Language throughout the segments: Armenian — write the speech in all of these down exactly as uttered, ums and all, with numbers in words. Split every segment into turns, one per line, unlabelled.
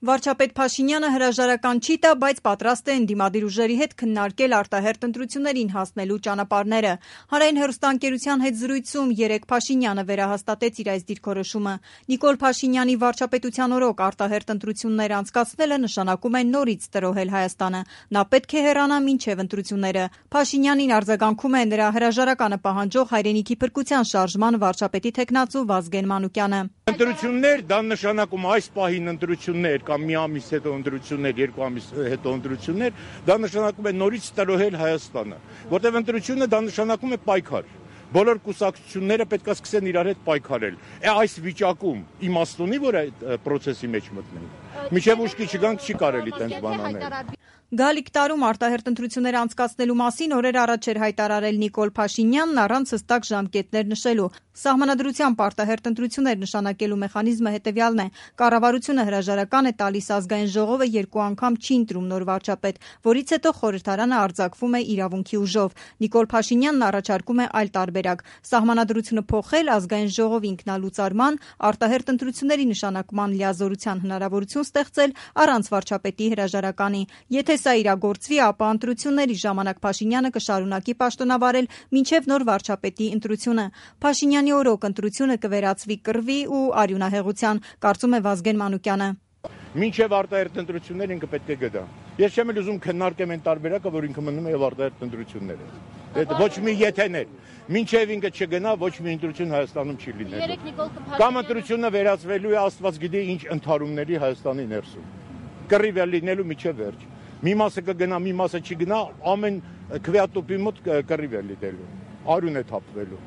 Վարչապետ Փաշինյանը հրաժարական չի տա, բայց պատրաստ է ընդդիմադիր ուժերի հետ քննարկել արտահերթ ընտրություններին հասնելու ճանապարհները։ Հանրային հեռուստաընկերության հետ զրույցում երեկ Փաշինյանը վերահաստատեց իր այս դիրքորոշումը։ Նիկոլ Փաշինյանի վարչապետության օրոք արտահերթ ընտրություններ անցկացնելը նշանակում է նորից տրոհել Հայաստանը։ Նա պետք է հեռանա մինչև ընտրությունները։ Փաշինյանին արձագանքում է նրա հրաժարականը պահանջող Հայրենիքի փրկության շարժման վարչապետի թեկնածու Վազգեն Մանուկյանը։
Ընտրություններ դա նշանակում այս պահին ընտրություններ կամ մի ամիս հետո ընտրություններ, երկու ամիս հետո ընտրություններ, դա նշանակում է նորից տրոհել Հայաստանը, որտեղ ընտրությունը դա նշանակում է պայքար։ Բոլոր կուսակցությունները պետք է սկսեն իրար հետ պայքարել։ Այս վիճակում իմաստ ունի, որ այդ process-ի մեջ մտնենք։ Մինչև ուշքի չգանք չի կարելի տենց բան անել։
Գալիք տարում արտահերթ ընտրություններ անցկացնելու մասին օրեր առաջ էր հայտարարել Նիկոլ Փաշինյանն առանց հստակ ժամկետներ նշելու։ Սահմանադրությամբ արտահերթ ընտրություններ նշանակելու մեխանիզմը հետևյալն է. կառավարությունը հրաժարական է տալիս ազգային ժողովը երկու անգամ չի ընտրում նոր վարչապետ, որից հետո խորհրդարանը արձակվում է իրավունքի ուժով։ Նիկոլ Փաշինյանն առաջարկում է այլ տարբերակ՝ սահմանադրությունը փոխել, ազգային ժողովի ինքնալուծարման, արտահերթ ընտրությունների նշանակման լիազորության հնարավորություն ստեղծել առանց վարչապետի հրաժարականի։ Եթե սա իրագործվի, ապա ընտրությունների ժամանակ Փաշինյանը կշարունակի պաշտոնավարել մինչև նոր վարչապետի ընտրությունը։ Փաշինյանի օրոք ընտրությունը կվերածվի կռվի ու արյունահեղության, կարծում է Վազգեն Մանուկյանը։
Մինչև արտահերթ ընտրություններ ինքը պետք է գնա։ Ես չեմ էլ ուզում քննարկեմ այն տարբերակը, որ ինքը մնում է եւ արտահերթ ընտրությունները։ Դա ոչ մի եթեներ։ Մինչև ինքը չգնա, ոչ մի ընտրություն Հայաստանում չի լինելու։ Կամ ընտրությունը վերածվելու է Աստված գիտի ինչ ընդհարումների Հայաստանի ներսում։ Կռիվ է լինելու միջև վերջ։ Մի մասը կգնա, մի մասը չի գնա, ամեն քվեատոպի մոտ կռիվ է լինելու, արյուն է թափվելու։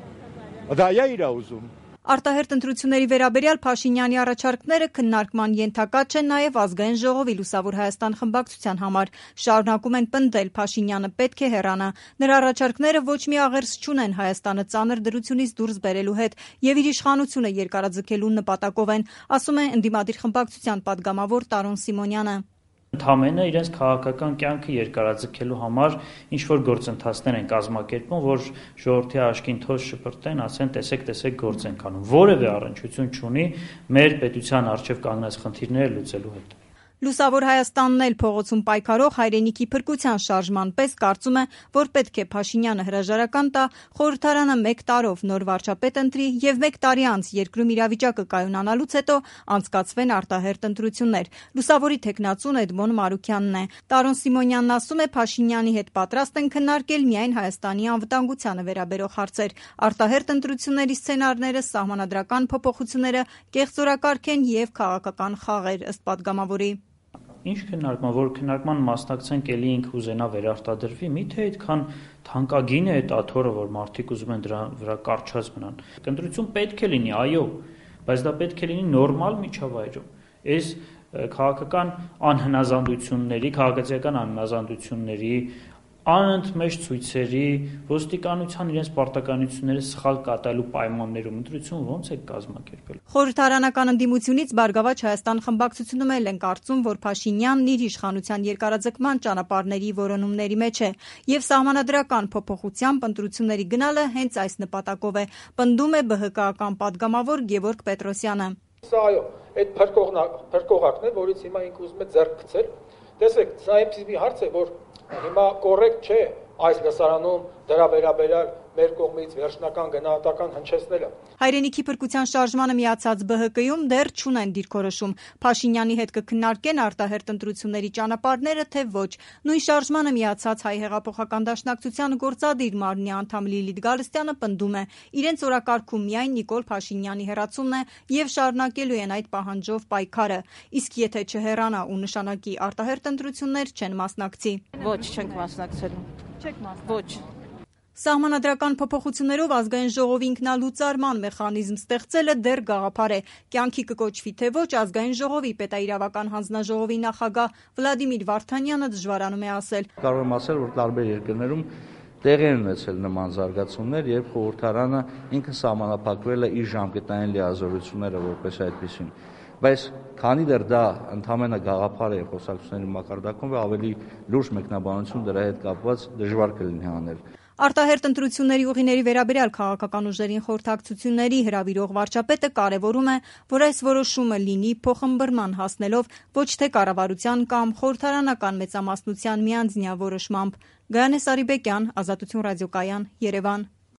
Դա է իր ուզում։
Արտահերթ ընտրությունների վերաբերյալ Փաշինյանի առաջարկները քննարկման ենթակա չեն նաև ազգային ժողովի Լուսավոր Հայաստան խմբակցության համար։ Շարունակում են պնդել Փաշինյանը պետք է հեռանա։ Նրա առաջարկները ոչ մի աղերս չունեն Հայաստանը ծանր դրությունից դուրս բերելու հետ եւ իր իշխանությունը երկարաձգելու նպատակով են, ասում է ընդդիմադիր խմբակցության падգամավոր Տարոն Սիմոնյանը։
Ընդհանրապես իրենց քաղաքական կյանքը երկարաձգելու համար ինչ-որ գործընթացներ են կազմակերպում, որ ժողովրդի աչքին թոզ շպրտեն, ասեն տեսեք, տեսեք գործ ենք անում։ Որևէ առնչություն չունի մեր պետության առջև կանգնած խնդիրները լուծելու հետ։
Լուսավոր Հայաստանն էլ փողոցում պայքարող Հայրենիքի փրկության շարժման պես կարծում է, որ պետք է Փաշինյանը հրաժարական տա, խորհրդարանը մեկ տարով նոր վարչապետ ընտրի եւ մեկ տարի անց երկրում իրավիճակը կայունանալուց հետո անցկացվեն արտահերթ ընտրություններ։ Լուսավորի թեկնածուն Էդմոն Մարուքյանն է։ Տարոն Սիմոնյանն ասում է Փաշինյանի հետ պատրաստ են քննարկել միայն Հայաստանի անվտանգությանը վերաբերող հարցեր։ Արտահերթ ընտրությունների սցենարները, սահմանադրական փոփոխությունները, կեղծորակարգ են եւ քաղաքական խաղեր, ըստ падգամավորի։
Ինչ քննարկման, որ քննարկման մասնակցենք էլի ինքը ուզենա վերարտադրվի, միթե այդքան թանկագին է այդ աթոռը, որ մարդիկ ուզում են դրա վրա կարճած մնան։ Ընտրություն պետք է լինի, այո, բայց դա պետք է լինի նորմալ միջավայրում։ Այս քաղաքական անհնազանդությունների, քաղաքացիական անհնազանդությունների, անընդմեջ ցույցերի, ոստիկանության իրենց պարտականությունները սխալ կատարելու պայմաններում ընտրություն ո՞նց է կազմակերպել։
Խորհրդարանական ընդդիմությունից Բարգավաճ Հայաստան խմբակցությունում էլ են կարծում, որ Փաշինյանն իր իշխանության երկարաձգման ճանապարհների որոնումների մեջ է եւ սահմանադրական փոփոխությամբ ընտրությունների գնալը հենց այս նպատակով է, պնդում է ԲՀԿ-ական падգամավոր Գևորգ Պետրոսյանը։
Սա այո, այդ փրկողակն է, որից հիմա ինքը ուզում է ձեռք գցել։ Տեսեք, սա այնպես մի հարց է, որ հիմա կոռեկտ չէ այս լսարանում դրա վերաբերյալ մեր կողմից վերջնական գնահատական հնչեցնելը։
Հայրենիքի փրկության շարժմանը միացած ԲՀԿ-ում դեռ չունեն դիրքորոշում։ Փաշինյանի հետ կքննարկեն արտահերթ ընտրությունների ճանապարհները, թե ոչ։ Նույն շարժմանը միացած Հայ հեղափոխական դաշնակցության գործադիր մարմնի անդամ Լիլիթ Գալստյանը պնդում է, իրենց օրակարգում միայն Նիկոլ Փաշինյանի հեռացումն է եւ շարունակելու են այդ պահանջով պայքարը։ Իսկ եթե չհեռանա ու նշանակի արտահերթ ընտրություններ, չեն մասնակցի։
Ոչ, չենք մասնակցելու։
Չեք մասնակցի։
Ոչ։
Սահմանադրական փոփոխություններով ազգային ժողովի ինքնալուծարման մեխանիզմ ստեղծելը դեռ գաղափար է։ Կյանքի կկոչվի թե ոչ, ազգային ժողովի պետաիրավական հանձնաժողովի նախագահ Վլադիմիր Վարդանյանը դժվարանում է ասել։
Կարող եմ ասել, որ տարբեր երկրներում տեղի են ունեցել նման զարգացումներ եւ խորհրդարանը ինքը սահմանափակվել է իր ժամկետային լիազորությունները որպես այդպեսին։ Բայց քանի դեռ դա ընդհանրապես գաղափար է խոսակցությունների մակարդակում, ավելի լուրջ մեկնաբանություն դրա հետ կապված դժվար կլինի անել։
Արտահերտ ընտրությունների ուղիների վերաբերյալ քաղաքական ուժերին խորհրդակցությունների հրավիրող վարչապետը կարևորում է, որ այս որոշումը լինի փոխըմբռնման հասնելով ոչ թե կառավարության կամ խորհրդարանական մեծամասնության միանձնյա որոշմամբ։ Գայանե Սարիբեկյան, Ազատություն ռադիոկայան, Երևան։